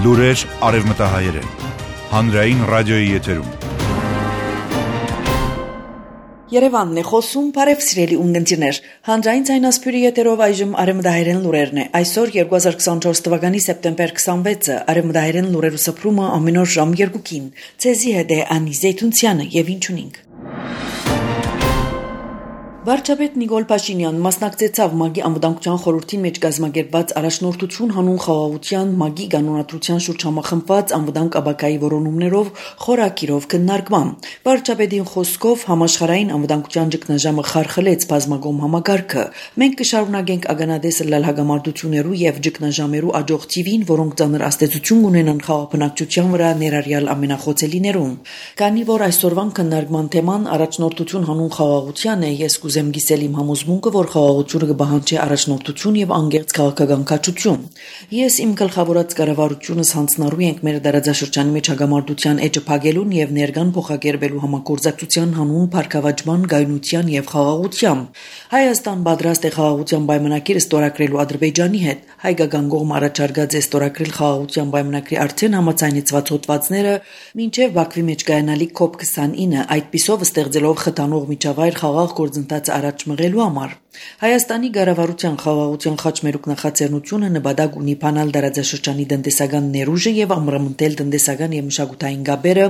Լուրեր արևմտահայերեն, հանրային ռադիոյի եթերում։ Երևանն է խոսում, բարև սիրելի ունգընտիրներ, հանրային ցայնասպյուրի եթերով այժմ արևմտահայերեն լուրերն է, այսօր 2024 թվականի սեպտեմբեր 26-ը, արևմտահայերեն լուրերու սփռումը ամեն օր ժամ 2-ին, ցեզի հետ է Անի Զեյթունցյանը եւ ինչ ունենք։ Վարչապետ Նիկոլ Փաշինյան մասնակցեցավ ՄԱԳ-ի անվտանգության խորհրդին մեջ կազմակերպված առաջնորդություն հանուն խաղաղության ՄԱԳ-ի կանոնադրության շուրջ համախմբված անվտանգ աբակայի որոնումներով խորակիրով քննարկման։ Վարչապետին խոսքով համաշխարհային անվտանգության ճգնաժամը խարխլեց բազմագոմ համակարգը։ Մենք կշարունակենք ագանադես լալ հագամարտություններու եւ ճգնաժամերու աջող թիվին, որոնք ծանր աստեցություն ունենան խաղապնակցության վրա ներառյալ ամենախոցելիներուն։ Քանի որ այսօրվան քննարկման թեման առաջնորդություն հանուն խաղաղության է, ես Ուզեմ գիսել իմ համոզմունքը, որ խաղաղությունը կբահանջի առաջնորդություն եւ անգերց քաղաքական կացություն։ Ես իմ գլխավորած կառավարությունս հանձնառու ենք մեր դարաձաշրջանի մեջ հագամարտության էջը փակելուն եւ ներկան փոխակերպելու համագործակցության հանուն փառքավաճման, գայունության եւ խաղաղության։ Հայաստան պատրաստ է խաղաղության պայմանագիր ստորագրելու Ադրբեջանի հետ։ Հայկական կողմը առաջարկած է ստորագրել խաղաղության պայմանագրի արդեն համաձայնեցված հոդվածները մինչեւ Բաքվի մեջ կայանալիք COP29, այդպիսով ստեղծելով խթանող միջավայր խաղաղ գործընթաց առաջ մղելու համար։ Հայաստանի կառավարության խաղաղության խաչմերուկ նախաձեռնությունը նպատակ ունի բանալ դարաձաշրջանի տնտեսական ներուժը եւ ամրամնտել տնտեսական եւ մշակութային գաբերը,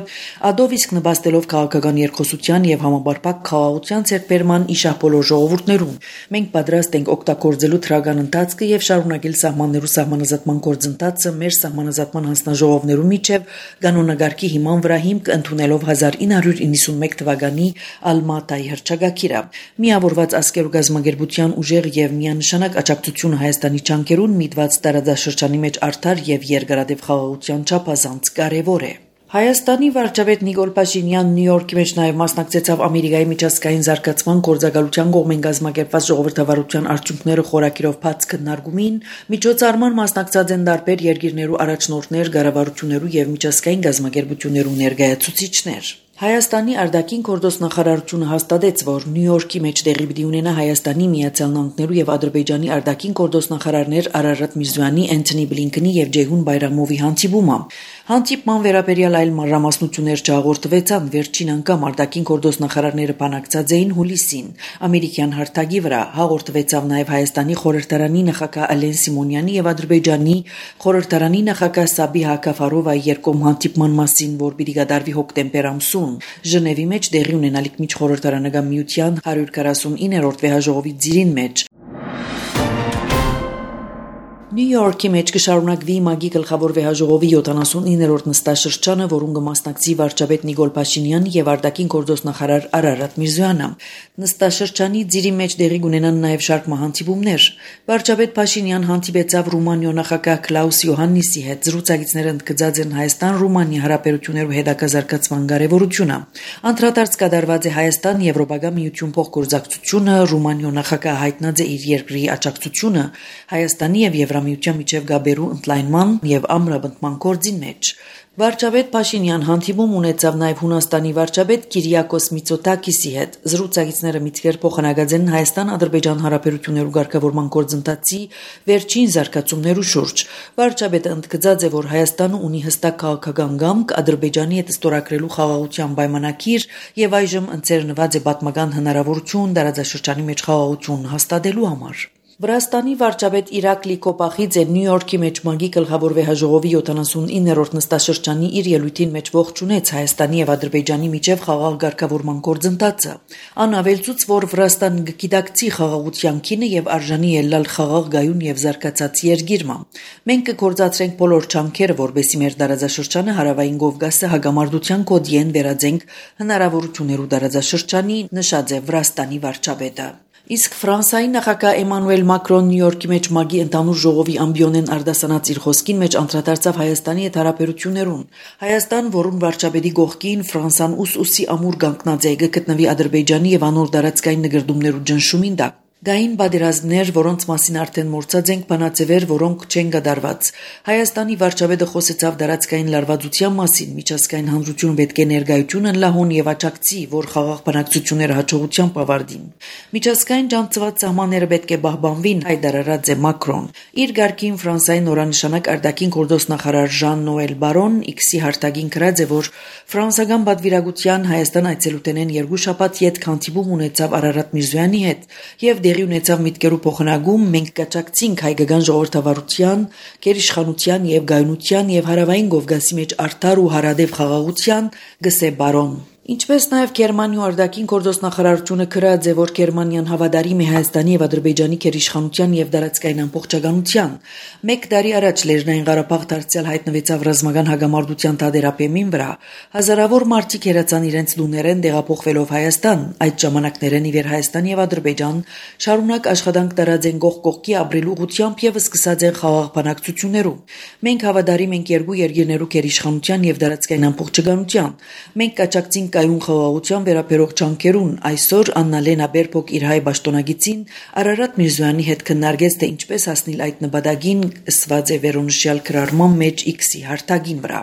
ադով իսկ նպաստելով քաղաքական երկխոսության եւ համապարփակ խաղաղության ցերբերման իշահ բոլոր ժողովուրդներուն։ Մենք պատրաստ ենք օգտագործելու թրական ընթացքը եւ շարունակել սահմաններու սահմանազատման գործընթացը մեր սահմանազատման հանձնաժողովներու միջև կանոնագարքի հիման վրա հիմք ընդունելով 1991 թվականի Ալմատայի հռչակագիրը։ Միավորված ազգերու գազագերբության ուժեղ եւ միանշանակ աջակցությունը Հայաստանի ճանկերուն միտված տարածաշրջանի մեջ արդար եւ երկարատև խաղաղության չափազանց կարեւոր է։ Հայաստանի վարչապետ Նիկոլ Փաշինյան Նյու Յորքի մեջ նաև մասնակցեցավ Ամերիկայի միջազգային զարգացման գործակալության կողմեն կազմակերպված ժողովրդավարության արդյունքները խորակիրով բաց քննարկումին, միջոցառման մասնակցած են տարբեր երկիրներու առաջնորդներ, կառավարություններու եւ միջազգային գազագերբություններու ներկայացուցիչներ։ Հայաստանի արտաքին գործոստնախարարությունը հաստատեց, որ Նյու Յորքի մեջ տեղի պիտի ունենա Հայաստանի, Միացյալ Նահանգներու եւ Ադրբեջանի արտաքին գործոստնախարարներ Արարատ Միրզոյանի, Անթոնի Բլինքենի եւ Ջեյհուն Բայրամովի հանդիպումը։ Հանդիպման վերաբերյալ այլ մանրամասնություններ չհաղորդվեցան, վերջին անգամ արտաքին գործոստնախարարները բանակցած էին հուլիսին։ Ամերիկյան հարթակի վրա հաղորդվեցավ նաեւ Հայաստանի խորհրդարանի նախագահ Ալեն Սիմոնյանի եւ Ադրբեջանի խորհրդարանի նախագահ Սաբիհ Հակաֆարովայի երկկողմ հանդիպման մասին, որ պիտի կատարվի հոկտեմբեր ամսում Ժնևի մեջ տեղի ունենալիք միջխորհրդարանական միության 149-րդ վեհաժողովի ծիրին մեջ։ Նյու Յորքի մեջ կշարունակվի ՄԱԳ-ի գլխավոր վեհաժողովի 79-րդ նստաշրջանը, որուն կմասնակցի վարչապետ Նիկոլ Փաշինյան եւ արտաքին գործոստնախարար Արարատ Միրզոյանը։ Նստաշրջանի ծիրի մեջ տեղի կունենան նաեւ շարք մահանտիպումներ։ Վարչապետ Փաշինյան հանդիպեցավ Ռումանիո նախագահ Կլաուս Յոհաննիսի հետ, զրուցակիցները ընդգծած են Հայաստան-Ռումանիա հարաբերություններու հետագազարգացման կարեւորությունը։ Անդրադարձ կատարված է Հայաստան-Եվրոպական միություն փոխգործակցությունը, Ռումանիո նախագահ հայտնած է իր երկրի աջակցությունը Հայաստանի եւ Եվրամիության միջև գաբերու ընդլայնման եւ ամրապնդման գործին մեջ։ Վարչապետ Փաշինյան հանդիպում ունեցավ նաև Հունաստանի վարչապետ Կիրիակոս Միցոտակիսի հետ։ Զրուցակիցները միտքեր փոխանակած են Հայաստան-Ադրբեջան հարաբերություններու ղեկավարման գործընթացի վերջին զարգացումներու շուրջ։ Վարչապետը ընդգծած է, որ Հայաստանը ունի հստակ քաղաքական կամք Ադրբեջանի հետ ստորագրելու խաղաղության պայմանագիր եւ այժմ ընձեռնված է պատմական հնարավորություն տարածաշրջանի մեջ խաղաղություն հաստատելու համար։ Վրաստանի վարչապետ Իրակլի Կոպախիձը Նյու Յորքի մեջ ՄԱԳ-ի գլխավոր վեհաժողովի 79-րդ նստաշրջանի իր ելույթին մեջ ողջունեց Հայաստանի եւ Ադրբեջանի միջև խաղաղ ղեկավարման գործընթացը։ Ան ավելցուց, որ Վրաստանը գիտակցի խաղաղության քինը եւ արժանի ելալ խաղաղ գայուն եւ զարգացած երկիրը։ Մենք կգործադրենք բոլոր ջանքերը, որբեսի մեր տարածաշրջանը հարավային Կովկասը հագամարտության կոդիեն վերածենք հնարավորություններու տարածաշրջանի, նշած է Վրաստանի վարչապետը։ Իսկ Ֆրանսիայի նախագահ Էմանուել Մակրոն Նյու Յորքի մեջ ՄԱԳ-ի ընդհանուր ժողովի ամբիոնեն արտասանած իր խոսքին մեջ անդրադարձավ Հայաստանի հետ հարաբերություններուն։ Հայաստան, որուն վարչապետի գողքին Ֆրանսան ուսի ամուր կանգնած է, գտնվի Ադրբեջանի եւ անոր տարածքային նկրդումներու ճնշումին տակ։ Գային բادرազմներ, որոնց մասին արդեն մոռացած ենք, բանաձևեր, որոնք չեն գդարված։ Հայաստանի վարչապետը խոսեցավ դարածքային լարվածության մասին, միջազգային հանրությունը պետք է ներկայություն լահուն եւ աճակցի, որ խաղաղ բանակցությունները հաջողությամբ ավարտին։ Միջազգային ջանցված սահմանները պետք է պահպանվին, հայտարարած է Մակրոն։ Իր ղարքին Ֆրանսիայի նորանշանակ արտաքին գործոստ նախարար Ժան-Նոել Բարոն X-ի հարտագին գրած է, որ ֆրանսիական պատվիրակության Հայաստան այցելուտենեն երկու շաբաթ յետ քանդիպում ունեցավ Արարատ Միրզոյանի հետ եւ դեղի ունեցավ միտքերու փոխանակում մենք կաճակցինք հայկական ժողովրդավարության, գերիշխանության եւ գայունության եւ հարավային Կովկասի մեջ արդար ու հարադեպ խաղաղության գսե Բարոն։ Ինչպես նաև Գերմանիայի արտաքին գործոստ նախարարությունը գրած է, որ Գերմանիան հավատարիմ է Հայաստանի եւ Ադրբեջանի գերիշխանության եւ դարածքային ամբողջականության։ Մեկ տարի առաջ Լեռնային Ղարաբաղ դարձյալ հայտնվեցավ ռազմական հագամարտության թադերապեմին վրա։ Հազարավոր մարդիկ հերացան իրենց լուներեն տեղափոխվելով Հայաստան։ Այդ ժամանակներեն ի վեր Հայաստան եւ Ադրբեջան շարունակ աշխատանք տարած են կողք կողքի ապրելու ուղղությամբ եւ սկսած են խաղաղ բանակցություններում։ Մենք հավատարիմ ենք երկու երկրներու գերիշխանության եւ դարածքային ամբողջականության։ Մենք կաճակցին կայուն խաղաղության վերաբերող ջանքերուն այսօր Աննա Լենա Բերբոկ իր հայ պաշտոնագիտին Արարատ Միրզոյանի հետ քննարկեց թե ինչպես հասնել այդ նպատակին ըսված է վերոնշյալ գրառման մեջ X-ի հարտագին վրա։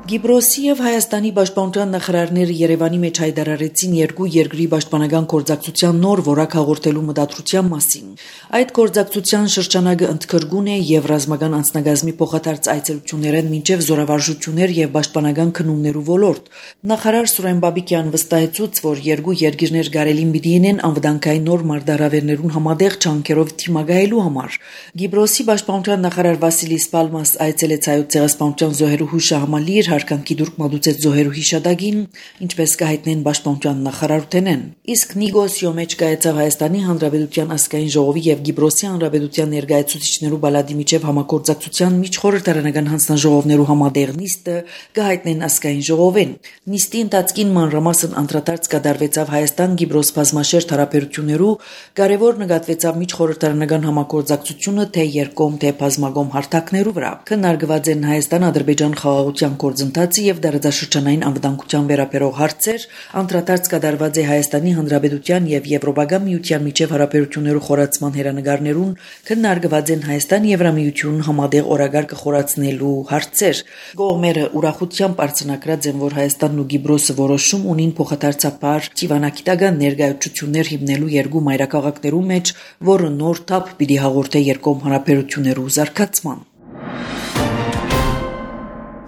Գիբրոսի եւ Հայաստանի պաշտպանության նախարարները Երևանի մեջ հայտարարեցին երկու երկրի պաշտպանական գործակցության նոր որակ հաղորդելու մտադրության մասին։ Այդ գործակցության շրջանակը ընդգրկուն է եւ ռազմական անձնագազմի փոխադարձ այցելություններն մինչեւ զորավարժություններ եւ պաշտպանական քննումներու ոլորտ։ Նախարար Սուրեն Բաբիկյան վստահեցուց, որ երկու երկիրներ գարելին պիտի լինեն անվտանգային նոր մարտահրավերներուն համատեղ ջանքերով թիմագայելու համար։ Գիբրոսի պաշտպանության նախարար Վասիլի Սպալմաս այցելեց հայոց ցեղասպանության զոհերու հուշահամալիր հարկանքի դուրք մատուցեց զոհերու հիշադակին, ինչպես կհայտնեն պաշտպանության նախարարութենեն։ Իսկ Նիգոսիո մեջ կայացավ Հայաստանի Հանրապետության ազգային ժողովի եւ Գիբրոսի Հանրապետության ներկայացուցիչներու բալադի միջև համագործակցության միջխորհրդարանական հանձնաժողովներու համատեղ նիստը կհայտնեն ազգային ժողովին։ Նիստի ընթացքին մանրամասն անդրադարձ կդարվեցավ Հայաստան-Գիբրոս բազմաշերտ հարաբերություններու, կարևոր նկատվեցավ միջխորհրդարանական համագործակցությունը թե երկկողմ թե բազմակողմ հարթակներու վրա։ Քննարկված են Հայաստան-Ադրբեջան խաղաղության գործընթացը եւ դարաշրջանային անվտանգության վերաբերող հարցեր, անդրադարձ կդարված է Հայաստանի Հանրապետության եւ Եվրոպական միության միջև հարաբերություններու խորացման հերանեկարներուն, քննարկված են Հայաստան-Եվրամիություն համատեղ օրագարկը խորացնելու հարցեր։ Կողմերը ուրախությամբ արձանագրած են, որ Հայաստանն ու Գիբրոսը որոշում ունին փոխադարձաբար ճիվանագիտական ներկայացություններ հիմնելու երկու մայրաքաղաքներու մեջ, որը նոր թափ պիտի հաղորդե երկկողմ հարաբերություններու զարգացման։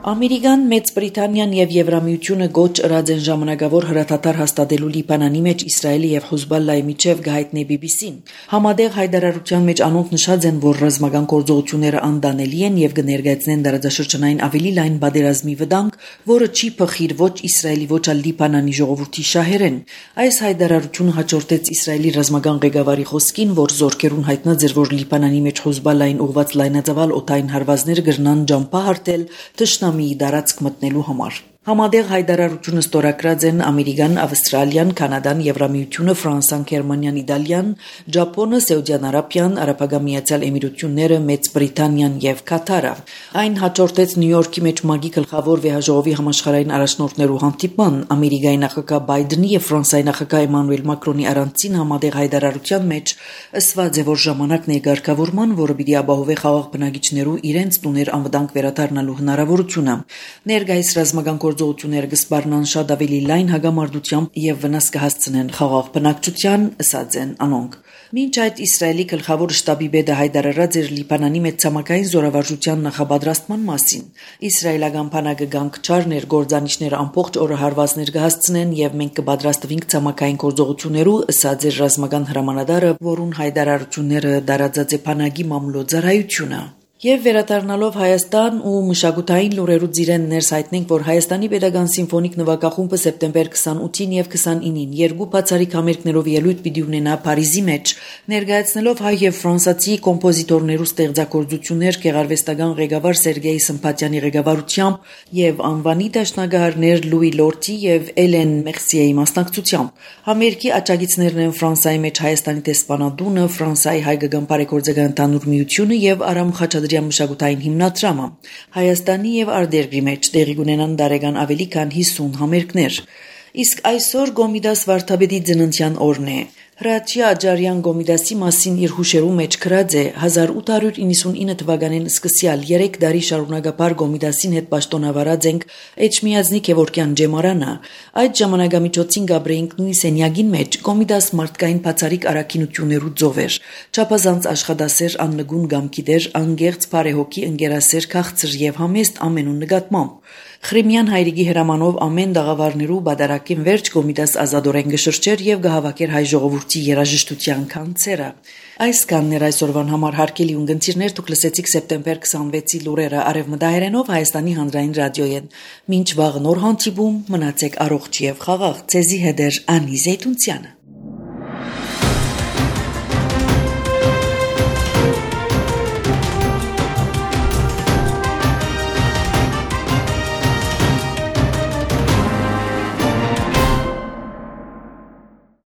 Ամերիկան, Մեծ Բրիտանիան եւ Եվրամիությունը գոչ ըրած են ժամանակավոր հրաթաթար հաստատելու Լիբանանի մեջ Իսրայելի եւ Հեզբոլլայի միջև գահիտնի BBC-ն։ Համատեղ հայտարարության մեջ անոնք նշած են, որ ռազմական գործողությունները անդանելի են եւ կներկայացնեն դարաշրջանային ավելի լայն բادرազմի վտանգ, որը չի փխիր ոչ Իսրայելի ոչ էլ Լիբանանի ժողովրդի շահերեն։ Այս հայտարարությունը հաջորդեց Իսրայելի ռազմական ղեկավարի խոսքին, որ զորքերուն հայտնած էր, որ Լիբանանի մեջ Հեզբոլլային ուղղված լայնածավալ օդային հարվածներ կրնան ջամփահարտել թշնամիի դարածք մտնելու համար։ Համատեղ հայտարարությունը ստորագրած են Ամերիկան, Ավստրալիան, Կանադան, Եվրամիությունը, Ֆրանսիան, Գերմանիան, Իտալիան, Ճապոնը, Սաուդյան Արաբիան, Արաբական Միացյալ Էմիրությունները, Մեծ Բրիտանիան եւ Կատարը։ Այն հաջորդեց Նյու Յորքի մեջ ՄԱԳ-ի գլխավոր վեհաժողովի համաշխարհային առաջնորդներու հանդիպման Ամերիկայի նախագահ Բայդենի եւ Ֆրանսիայի նախագահ Էմանուել Մակրոնի առանցին համատեղ հայտարարության մեջ ըսված է, որ ժամանակն է ղեկավարման, որը պիտի ապահովի խաղաղ բնակիչներու իրենց տուներ անվտանգ վերադառնալու հնարավորությունը։ Ներկայիս ռազմական գործողությունները կսպառնան շատ ավելի լայն հագամարտությամբ եւ վնաս կհասցնեն խաղաղ բնակչության, ըսած են անոնք։ Մինչ այդ Իսրայելի գլխավոր շտաբի պետը հայտարարած էր Լիբանանի մեջ ցամաքային զորավարժության նախապատրաստման մասին։ Իսրայելական բանակը գանգչարներ գործանիչները ամբողջ օրը հարվածներ կհասցնեն եւ մենք կպատրաստվենք ցամաքային գործողություններու, ըսած էր ռազմական հրամանատարը, որուն հայտարարությունները դարածած է բանակի մամլոյցարայությունը։ Եվ վերադառնալով Հայաստան ու մշակութային լուրերու ծիրեն ներս հայտնենք, որ Հայաստանի Պետական Սիմֆոնիկ նվագախումբը սեպտեմբեր 28-ին եւ 29-ին երկու բացառիկ համերգներով ելույթ պիտի ունենա Փարիզի մեջ, ներկայացնելով հայ եւ ֆրանսիացի կոմպոզիտորներու ստեղծագործություններ գեղարվեստական ղեկավար Սերգեյ Սմփատյանի ղեկավարությամբ եւ անվանի դաշնակահարներ Լուի Լորտի եւ Էլեն Մեղսիեի մասնակցությամբ։ Համերգի աջակիցներն են Ֆրանսիայի մեջ Հայաստանի դեսպանատունը, Ֆրանսիայի հայկական բարեգործական ընդհանուր միությունը եւ Արամ Խաչատրյան մշակութային հիմնադրամը։ Հայաստանի եւ արտերկրի մեջ տեղի կունենան դարեգան ավելի քան 50 համերգներ։ Իսկ այսօր Գոմիդաս վարդապետի ծննդյան օրն է։ Հրաչյա Աջարյան Գոմիդասի մասին իր հուշերու մեջ գրած է 1899 թվականին սկսյալ 3 տարի շարունակապար Գոմիդասին հետ պաշտոնավարած ենք Էջմիածնի Քևորքյան ջեմարանը։ Այդ ժամանակամիջոցին գաբրեինք նույն սենյակին մեջ Գոմիդաս մարդկային բացարիք առաքինություններու ծովեր, չափազանց աշխատասեր աննգուն գամքիդեր, անգերց բարեհոգի ընկերասեր քաղցր եւ համեստ ամենուն նկատմամբ։ Խրիմյան հայրիկի հրամանով ամեն դաղավարներու բادرակին վերջ Գոմիդաս ազատորեն գշրջեր եւ գահավակեր հայ ժողովրդի երաժշտության կանցերը։ Այս կաններ այսօրվան համար հարկելի ունգընտիրներ դուք լսեցիք սեպտեմբեր 26-ի լուրերը արևմտահայերենով Հայաստանի հանրային ռադիոյեն։ Մինչ վաղ նոր հանդիպում մնացեք առողջ եւ խաղաղ։ Ցեզի հետ է Անի Զեյթունցյանը։